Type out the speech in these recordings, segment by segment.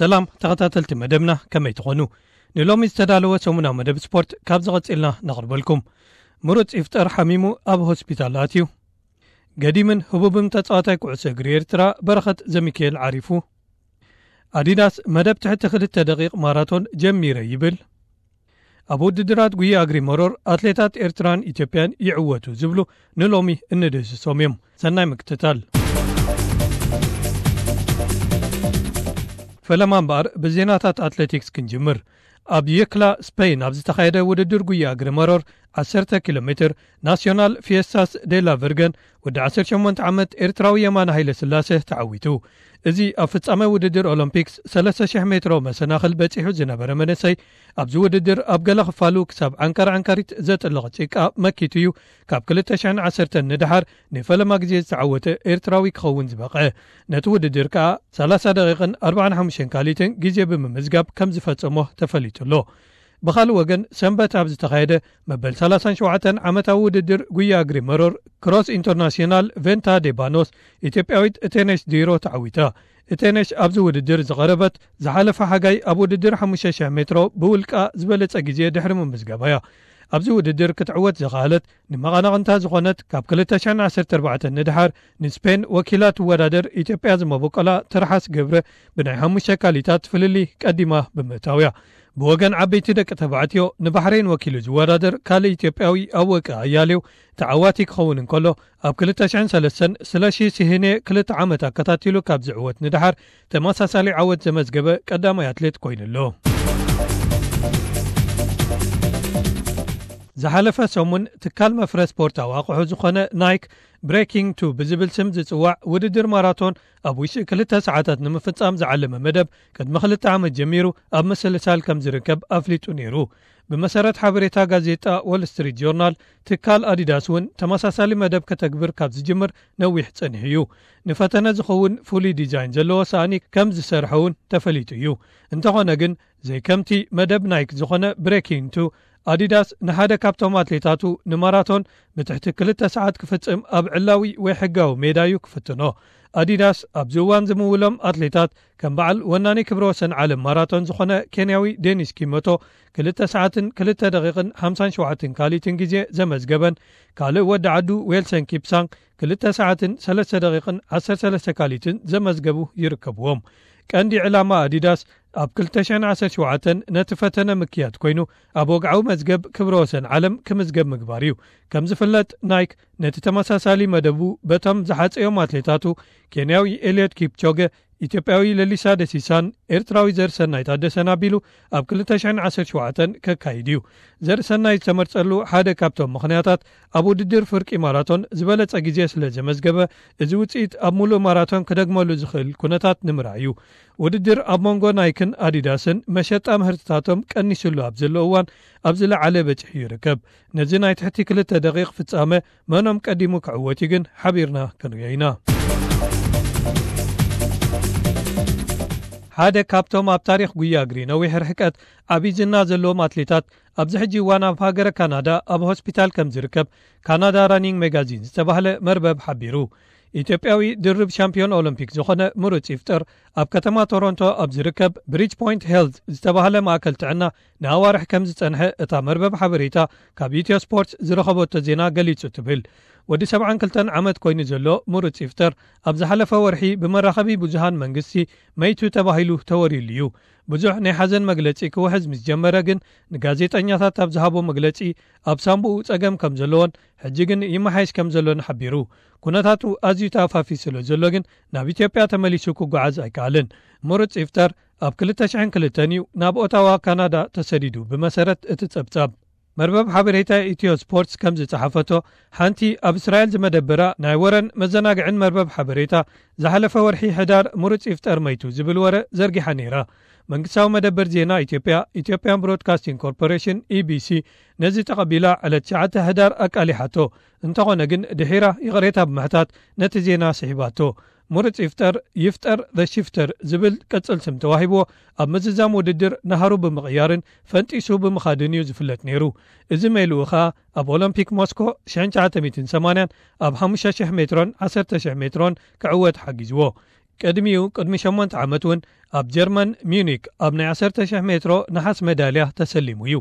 ሰላም ተኸታተልቲ መደብና፣ ከመይ ትኾኑ? ንሎሚ ዝተዳለወ ሰሙናዊ መደብ ስፖርት ካብ ዝቐጽልና ነቕርበልኩም። ምሩጽ ይፍጠር ሓሚሙ ኣብ ሆስፒታል ኣትዩ። ገዲምን ህቡብን ተጻዋታይ ኩዕሶ እግሪ ኤርትራ በረኸት ዘሚካኤል ዓሪፉ። ኣዲዳስ መደብ ትሕቲ ክልተ ደቂቕ ማራቶን ጀሚረ ይብል። ኣብ ውድድራት ጉያ እግሪ መሮር ኣትሌታት ኤርትራን ኢትዮጵያን ይዕወቱ ዝብሉ ንሎሚ እንድህስሶም እዮም። ሰናይ ምክትታል። ፈለማ እምበኣር ብዜናታት ኣትሌቲክስ ክንጅምር። ኣብ የክላ ስፔን ኣብ ዝተኻየደ ውድድር ጉያ እግሪ መሮር ዓሰርተ ኪሎ ሜትር ናሲዮናል ፊየስታስ ዴላ ቨርገን ወዲ ዓሰርተ ሸሞንተ ዓመት ኤርትራዊ የማነ ሃይለ ስላሴ ተዓዊቱ። እዚ ኣብ ፍጻመ ውድድር ኦሎምፒክስ ሰለስተ ሽሕ ሜትሮ መሰናኽል በጺሑ ዝነበረ መንእሰይ ኣብዚ ውድድር ኣብ ገለ ክፋሉ ክሳብ ዓንካር ዓንካሪት ዘጥልቕ ጭቃ መኪቱ እዩ ካብ ክልተ ሽሕን ዓሰርተን ንደሓር ንፈለማ ግዜ ዝተዓወተ ኤርትራዊ ክኸውን ዝበቐ። ነቲ ውድድር ከኣ ሰላሳ ደቂቕን ኣርባዓን ሓሙሽተን ካሊትን ግዜ ብምምዝጋብ ከም ዝፈጸሞ ተፈሊጡ ኣሎ። ብኻልእ ወገን ሰንበት ኣብ ዝተኻየደ መበል ሰላሳን ሸውዓተን ዓመታዊ ውድድር ጉያ እግሪ መሮር ክሮስ ኢንተርናሽናል ቬንታ ዴባኖስ ኢትዮጵያዊት እቴነሽ ዲሮ ተዓዊታ። እቴነሽ ኣብዚ ውድድር ዝቐረበት ዝሓለፈ ሓጋይ ኣብ ውድድር ሓሙሽተ ሽሕ ሜትሮ ብውልቃ ዝበለጸ ግዜ ድሕሪ ምምዝጋባ እያ። ኣብዚ ውድድር ክትዕወት ዝኸኣለት ንመቐናቕንታ ዝኾነት ካብ ክልተ ሽሕን ዓሰርተ ኣርባዕተን ንድሓር ንስፔን ወኪላ ትወዳደር ኢትዮጵያ ዝመበቆላ ትርሓስ ገብረ ብናይ ሓሙሽተ ካሊታት ፍልልይ ቀዲማ ብምእታው እያ። ብወገን ዓበይቲ ደቂ ተባዕትዮ ንባሕሬን ወኪሉ ዝወዳደር ካልእ ኢትዮጵያዊ ኣወቀ ኣያሌው ተዓዋቲ ክኸውን እንከሎ፣ ኣብ ክልተ ሽሕን ሰለስተን ስለሺ ሲሂኔ ክልተ ዓመት ኣከታቲሉ ካብ ዝዕወት ንድሓር ተመሳሳሊ ዓወት ዘመዝገበ ቀዳማይ ኣትሌት ኮይኑ ኣሎ። ዝሓለፈ ሰሙን ትካል መፍረ ስፖርታዊ ኣቑሑ ዝኾነ ናይክ ብሬኪንግ ቱ ብዝብል ስም ዝጽዋዕ ውድድር ማራቶን ኣብ ውሽጢ ክልተ ሰዓታት ንምፍጻም ዝዓለመ መደብ ቅድሚ ክልተ ዓመት ጀሚሩ ኣብ ምስልሳል ከም ዝርከብ ኣፍሊጡ ነይሩ። ብመሰረት ሓበሬታ ጋዜጣ ዎል ስትሪት ጆርናል፣ ትካል ኣዲዳስ እውን ተመሳሳሊ መደብ ከተግብር ካብ ዝጅምር ነዊሕ ጸኒሑ እዩ። ንፈተነ ዝኸውን ፍሉይ ዲዛይን ዘለዎ ሳእኒ ከም ዝሰርሐ እውን ተፈሊጡ እዩ። እንተኾነ ግን፣ ዘይከምቲ መደብ ናይክ ዝኾነ ብሬኪንግ ቱ፣ ኣዲዳስ ንሓደ ካብቶም ኣትሌታቱ ንማራቶን ብትሕቲ ክልተ ሰዓት ክፍጽም ኣብ ዕላዊ ወይ ሕጋዊ ሜዳ እዩ ክፍትኖ። ኣዲዳስ ኣብዚ እዋን ዝምውሎም ኣትሌታት ከም በዓል ወናኒ ክብረ ወሰን ዓለም ማራቶን ዝኾነ ኬንያዊ ዴኒስ ኪሞቶ ክልተ ሰዓትን ክልተ ደቂቕን ሓምሳን ሸውዓተን ካሊትን ግዜ ዘመዝገበን፣ ካልእ ወዲ ዓዱ ዌልሰን ኪፕሳንግ ክልተ ሰዓትን ሰለስተ ደቂቕን ዓሰርተ ሰለስተ ካሊትን ዘመዝገቡ ይርከብዎም። ቀንዲ ዕላማ ኣዲዳስ ኣብ ክልተ ሽሕን ዓሰርተ ሸውዓተን ነቲ ፈተነ ምክያድ ኮይኑ፣ ኣብ ወግዓዊ መዝገብ ክብረ ወሰን ዓለም ክምዝገብ ምግባር እዩ። ከም ዝፍለጥ፣ ናይክ ነቲ ተመሳሳሊ መደቡ በቶም ዝሓጸዮም ኣትሌታቱ፣ ኬንያዊ ኤልዮት ኪፕቾገ፣ ኢትዮጵያዊ ለሊሳ ደሲሳን ኤርትራዊ ዘርሰናይ ታደሰን ኣቢሉ ኣብ ክልተ ሽሕን ዓሰርተ ሸውዓተን ከካይድ እዩ። ዘርሰናይ ዝተመርጸሉ ሓደ ካብቶም ምኽንያታት፣ ኣብ ውድድር ፍርቂ ማራቶን ዝበለጸ ግዜ ስለ ዘመዝገበ፣ እዚ ውጽኢት ኣብ ሙሉእ ማራቶን ክደግመሉ ዝኽእል ኩነታት ንምርኣይ እዩ። ውድድር ኣብ መንጎ ናይክን ኣዲዳስን መሸጣ ምህርትታቶም ቀኒሱሉ ኣብ ዘሎ እዋን፣ ኣብ ዝለዓለ በጺሑ ይርከብ። ነዚ ናይ ትሕቲ ክልተ ደቂቕ ፍጻመ መኖም ቀዲሙ ክዕወት እዩ ግን ሓቢርና ክንሪኦ ኢና። ሓደ ካብቶም ኣብ ታሪኽ ጉያ እግሪ ነዊሕ ርሕቀት ዓቢ ዝና ዘለዎም ኣትሌታት ኣብዚ ሕጂ እዋን ኣብ ሃገረ ካናዳ ኣብ ሆስፒታል ከም ዝርከብ ካናዳ ራኒንግ ሜጋዚን ዝተባህለ መርበብ ሓቢሩ። ኢትዮጵያዊ ድርብ ሻምፒዮን ኦሎምፒክ ዝኾነ ምሩጽ ይፍጠር ኣብ ከተማ ቶሮንቶ ኣብ ዝርከብ ብሪጅ ፖይንት ሄልዝ ዝተባህለ ማእከል ጥዕና ንኣዋርሕ ከም ዝጸንሐ እታ መርበብ ሓበሬታ ካብ ኢትዮ ስፖርት ዝረኸበቶ ዜና ገሊጹ ትብል። ወዲ ሰብዓን ክልተን ዓመት ኮይኑ ዘሎ ምሩጽ ይፍጠር ኣብ ዝሓለፈ ወርሒ ብመራኸቢ ብዙሃን መንግስቲ መይቱ ተባሂሉ ተወሪሉ እዩ። ብዙሕ ናይ ሓዘን መግለጺ ክውሕዝ ምስ ጀመረ ግን ንጋዜጠኛታት ኣብ ዝሃቦ መግለጺ ኣብ ሳንቡኡ ጸገም ከም ዘለዎን ሕጂ ግን ይመሓየሽ ከም ዘሎን ሓቢሩ። ኩነታቱ ኣዝዩ ተኣፋፊ ስለ ዘሎ ግን ናብ ኢትዮጵያ ተመሊሱ ክጓዓዝ ኣይከኣልን። ምሩጽ ይፍጠር ኣብ ክልተ ሽሕን ክልተን እዩ ናብ ኦታዋ ካናዳ ተሰዲዱ። ብመሰረት እቲ ጸብጻብ መርበብ ሓበሬታ ኢትዮ ስፖርትስ ከም ዝጸሓፈቶ፣ ሓንቲ ኣብ እስራኤል ዝመደበራ ናይ ወረን መዘናግዕን መርበብ ሓበሬታ ዝሓለፈ ወርሒ ሕዳር ምሩጽ ይፍጠር መይቱ ዝብል ወረ ዘርጊሓ ነይራ። መንግስታዊ መደበር ዜና ኢትዮጵያ፣ ኢትዮጵያን ብሮድካስቲንግ ኮርፖሬሽን፣ ኢቢሲ፣ ነዚ ተቐቢላ ዕለት ትሽዓተ ሕዳር ኣቃሊሓቶ። እንተኾነ ግን ድሒራ ይቕሬታ ብምሕታት ነቲ ዜና ስሒባቶ። ምሩጽ ይፍጠር፣ ይፍጠር ዘ ሽፍተር ዝብል ቅጽል ስም ተዋሂብዎ ኣብ ምዝዛም ውድድር ናህሩ ብምቕያርን ፈንጢሱ ብምኻድን እዩ ዝፍለጥ ነይሩ። እዚ ሜልኡ ኸኣ ኣብ ኦሎምፒክ ሞስኮ ሽሕን ትሽዓተ ሚእትን ሰማንያን ኣብ ሓሙሽተ ሽሕ ሜትሮን ዓሰርተ ሽሕ ሜትሮን ክዕወት ሓጊዝዎ። ቅድሚኡ ቅድሚ ሸሞንተ ዓመት እውን ኣብ ጀርመን ሚዩኒክ ኣብ ናይ ዓሰርተ ሽሕ ሜትሮ ነሓስ መዳልያ ተሰሊሙ እዩ።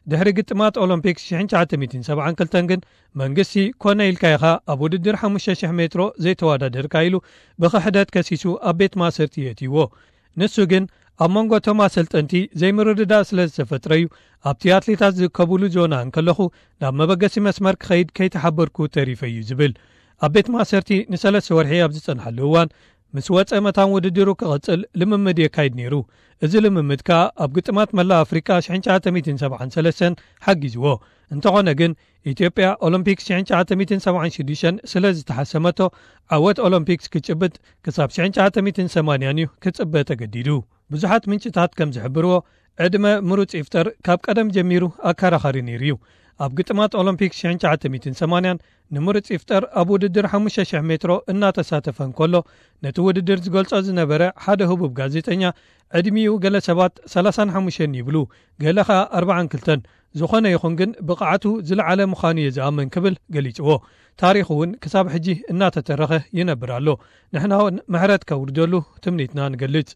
ድሕሪ ግጥማት ኦሎምፒክ ሽሕን ትሽዓተ ሚእትን ሰብዓን ክልተን ግን መንግስቲ ኮነ ኢልካ ኢኻ ኣብ ውድድር ሓሙሽተ ሽሕ ሜትሮ ዘይተወዳደርካ ኢሉ ብኽሕደት ከሲሱ ኣብ ቤት ማእሰርቲ የእትይዎ። ንሱ ግን ኣብ መንጎ እቶም ኣሰልጠንቲ ዘይምርድዳእ ስለ ዝተፈጥረ እዩ ኣብቲ ኣትሌታት ዝእከቡሉ ዞና እንከለኹ ናብ መበገሲ መስመር ክኸይድ ከይተሓበርኩ ተሪፈ እዩ ዝብል። ኣብ ቤት ማእሰርቲ ንሰለስተ ወርሒ ኣብ ዝጸንሓሉ እዋን ምስ ወጸ መታን ውድድሩ ክቐጽል ልምምድ የካይድ ነይሩ። እዚ ልምምድ ከኣ ኣብ ግጥማት መላእ ኣፍሪቃ ሽሕን ትሽዓተ ሚእትን ሰብዓን ሰለስተን ሓጊዝዎ። እንተኾነ ግን ኢትዮጵያ ኦሎምፒክ ሽሕን ትሽዓተ ሚእትን ሰብዓን ሽዱሽተን ስለ ዝተሓሰመቶ ዓወት ኦሎምፒክስ ክጭብጥ ክሳብ ሽሕን ትሽዓተ ሚእትን ሰማንያን እዩ ክጽበ ተገዲዱ። ብዙሓት ምንጭታት ከም ዝሕብርዎ ዕድመ ምሩጽ ይፍጠር ካብ ቀደም ጀሚሩ ኣከራኻሪ ነይሩ እዩ። ኣብ ግጥማት ኦሎምፒክ ሽሕን ትሽዓተ ሚእትን ሰማንያን ንምሩጽ ይፍጠር ኣብ ውድድር ሓሙሽተ ሽሕ ሜትሮ እናተሳተፈ እንከሎ ነቲ ውድድር ዝገልጾ ዝነበረ ሓደ ህቡብ ጋዜጠኛ ዕድሚኡ ገለ ሰባት ሰላሳን ሓሙሽተን ይብሉ፣ ገለ ኸኣ ኣርባዓን ክልተን። ዝኾነ ይኹን ግን ብቕዓቱ ዝለዓለ ምዃኑ እየ ዝኣምን ክብል ገሊጽዎ። ታሪኹ እውን ክሳብ ሕጂ እናተተረኸ ይነብር ኣሎ። ንሕና እውን ምሕረት ከውርደሉ ትምኒትና ንገልጽ።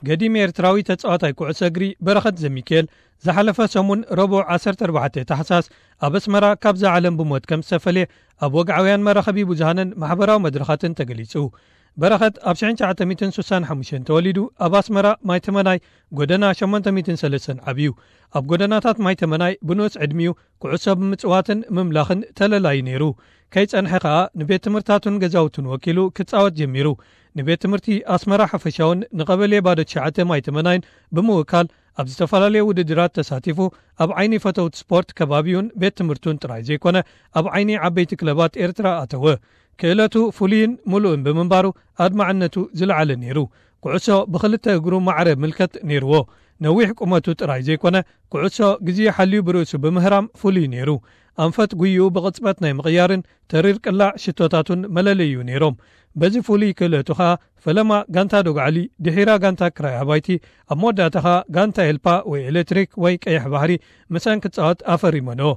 ገዲም ኤርትራዊ ተጻዋታይ ኩዕሶ እግሪ በረኸት ዘሚካኤል ዝሓለፈ ሰሙን ረቡዕ ዓሰርተ ኣርባዕተ ታሕሳስ ኣብ ኣስመራ ካብዛ ዓለም ብሞት ከም ዝተፈልየ ኣብ ወግዓውያን መራኸቢ ብዙሃንን ማሕበራዊ መድረኻትን ተገሊጹ። በረኸት ኣብ ሽሕን ትሽዓተ ሚእትን ስሳን ሓሙሽተን ተወሊዱ ኣብ ኣስመራ ማይተመናይ ጎደና ሸሞንተ ሚእትን ሰለስተን ዓብዩ። ኣብ ጎደናታት ማይተመናይ ብንኡስ ዕድሚኡ ኩዕሶ ብምጽዋትን ምምላኽን ተለላዩ ነይሩ። ከይጸንሐ ከኣ ንቤት ትምህርታቱን ገዛውቱን ወኪሉ ክጻወት ጀሚሩ። ንቤት ትምህርቲ ኣስመራ ሓፈሻውን ንቐበሌ ባዶ ትሽዓተ ማይተመናይን ብምውካል ኣብ ዝተፈላለዩ ውድድራት ተሳቲፉ ኣብ ዓይኒ ፈተውቲ ስፖርት ከባቢውን ቤት ትምህርቱን ጥራይ ዘይኮነ ኣብ ዓይኒ ዓበይቲ ክለባት ኤርትራ ኣተወ። ክእለቱ ፍሉይን ምሉእን ብምንባሩ ኣድማዕነቱ ዝለዓለ ነይሩ። ኩዕሶ ብኽልተ እግሩ ማዕረ ምልከት ነይርዎ። ነዊሕ ቁመቱ ጥራይ ዘይኮነ ኩዕሶ ግዜ ሓልዩ ብርእሱ ብምህራም ፍሉይ ነይሩ። ኣንፈት ጉይኡ ብቕጽበት ናይ ምቕያርን ተሪር ቅላዕ ሽቶታቱን መለለዩ ነይሮም። በዚ ፍሉይ ክእለቱ ኸኣ ፈለማ ጋንታ ዶግዓሊ ድሒራ ጋንታ ክራይ ኣባይቲ ኣብ መወዳእታ ኸኣ ጋንታ ኤልፓ ወይ ኤሌክትሪክ ወይ ቀይሕ ባሕሪ ምሰን ክጻወት ኣፈሪመንኦ።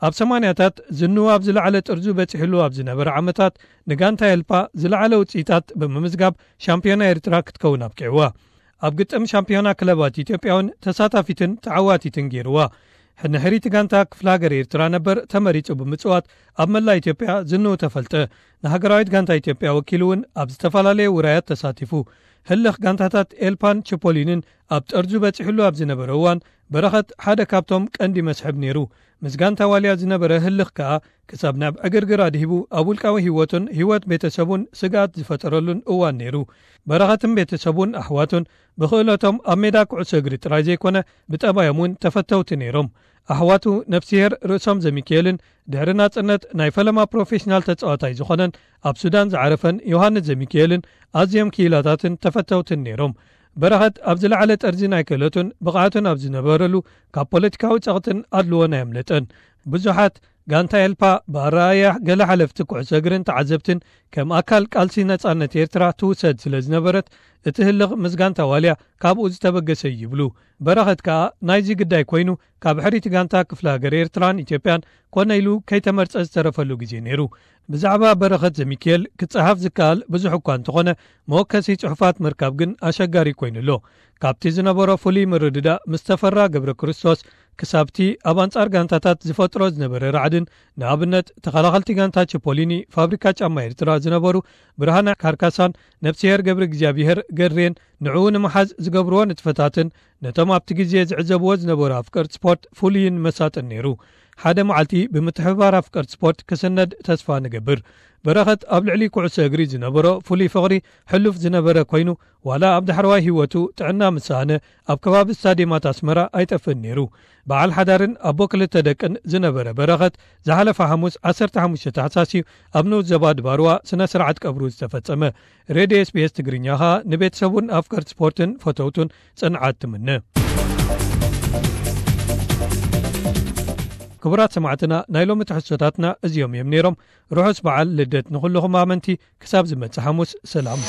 ኣብ ሰማንያታት ዝንኡ ኣብ ዝለዓለ ጥርዙ በጺሕሉ ኣብ ዝነበረ ዓመታት ንጋንታ ኤልፓ ዝለዓለ ውጽኢታት ብምምዝጋብ ሻምፒዮና ኤርትራ ክትከውን ኣብቂዕዋ። ኣብ ግጥም ሻምፒዮና ክለባት ኢትዮጵያ እውን ተሳታፊትን ተዓዋቲትን ገይርዋ። ንሕሪቲ ጋንታ ክፍለ ሃገር ኤርትራ ነበር ተመሪጹ ብምጽዋት ኣብ መላ ኢትዮጵያ ዝንኡ ተፈልጠ። ንሃገራዊት ጋንታ ኢትዮጵያ ወኪሉ እውን ኣብ ዝተፈላለየ ውራያት ተሳቲፉ። ህልኽ ጋንታታት ኤልፓን ችፖሊንን ኣብ ጠርዙ በጺሕሉ ኣብ ዝነበረ እዋን በረኸት ሓደ ካብቶም ቀንዲ መስሕብ ነይሩ። ምስ ጋንታ ዋልያ ዝነበረ ህልኽ ከኣ ክሳብ ናብ ዕግርግር ኣድሂቡ ኣብ ውልቃዊ ህይወቱን ህይወት ቤተሰቡን ስግኣት ዝፈጠረሉን እዋን ነይሩ። በረኸትን ቤተሰቡን ኣሕዋቱን ብኽእለቶም ኣብ ሜዳ ኩዕሶ እግሪ ጥራይ ዘይኮነ ብጠባዮም እውን ተፈተውቲ ነይሮም። ኣሕዋቱ ነፍስሄር ርእሶም ዘሚካኤልን ድሕሪ ናጽነት ናይ ፈለማ ፕሮፌሽናል ተጻዋታይ ዝኾነን ኣብ ሱዳን ዝዓረፈን ዮሃንስ ዘሚካኤልን ኣዝዮም ክኢላታትን ተፈተውትን ነይሮም። በረኸት ኣብ ዝለዓለ ጠርዚ ናይ ክእለቱን ብቕዓቱን ኣብ ዝነበረሉ ካብ ፖለቲካዊ ጸቕጥን ኣድልዎን ኣየምለጠን። ብዙሓት ጋንታ ኤልፓ ብኣረኣእያ ገለ ሓለፍቲ ኩዕሶ እግርን ተዓዘብትን ከም ኣካል ቃልሲ ነጻነት ኤርትራ ትውሰድ ስለ ዝነበረት እቲ ህልኽ ምስ ጋንታ ዋልያ ካብኡ ዝተበገሰ እዩ ይብሉ። በረኸት ከኣ ናይዚ ግዳይ ኮይኑ ካብ ሕሪቲ ጋንታ ክፍለ ሃገር ኤርትራን ኢትዮጵያን ኮነ ኢሉ ከይተመርጸ ዝተረፈሉ ግዜ ነይሩ። ብዛዕባ በረኸት ዘሚካኤል ክጸሓፍ ዝከኣል ብዙሕ እኳ እንተኾነ መወከሲ ጽሑፋት ምርካብ ግን ኣሸጋሪ ኮይኑ ኣሎ። ካብቲ ዝነበሮ ፍሉይ ምርድዳእ ምስ ተፈራ ገብረ ክርስቶስ ክሳብቲ ኣብ ኣንጻር ጋንታታት ዝፈጥሮ ዝነበረ ራዕድን ንኣብነት ተኸላኸልቲ ጋንታ ቸፖሊኒ ፋብሪካ ጫማ ኤርትራ ዝነበሩ ብርሃነ ካርካሳን ነብስሄር ገብረ እግዚኣብሄር ገሬን ንዕኡ ንምሓዝ ዝገብርዎ ንጥፈታትን ነቶም ኣብቲ ግዜ ዝዕዘብዎ ዝነበሩ ኣፍቀርቲ ስፖርት ፍሉይን መሳጥን ነይሩ። ሓደ መዓልቲ ብምትሕብባር ኣፍቀርቲ ስፖርት ክስነድ ተስፋ ንገብር። በረኸት ኣብ ልዕሊ ኩዕሶ እግሪ ዝነበሮ ፍሉይ ፍቕሪ ሕሉፍ ዝነበረ ኮይኑ ዋላ ኣብ ዳሕረዋይ ህይወቱ ጥዕና ምስ ሰኣነ ኣብ ከባቢ ስታድየማት ኣስመራ ኣይጠፍእን ነይሩ። በዓል ሓዳርን ኣቦ ክልተ ደቅን ዝነበረ በረኸት ዝሓለፈ ሓሙስ ዓሰርተ ሓሙሽተ ታሕሳስ እዩ ኣብ ንኡስ ዞባ ድባርዋ ስነ ስርዓት ቀብሩ ዝተፈጸመ። ሬድዮ ኤስቢኤስ ትግርኛ ኸኣ ንቤተሰቡን ኣፍቀርቲ ስፖርትን ፈተውቱን ጽንዓት ትምነ። ክቡራት ሰማዕትና ናይ ሎሚ ትሕዝቶታትና እዚኦም እዮም ነይሮም። ርሑስ በዓል ልደት ንኹልኹም ኣመንቲ። ክሳብ ዝመጽእ ሓሙስ ሰላም።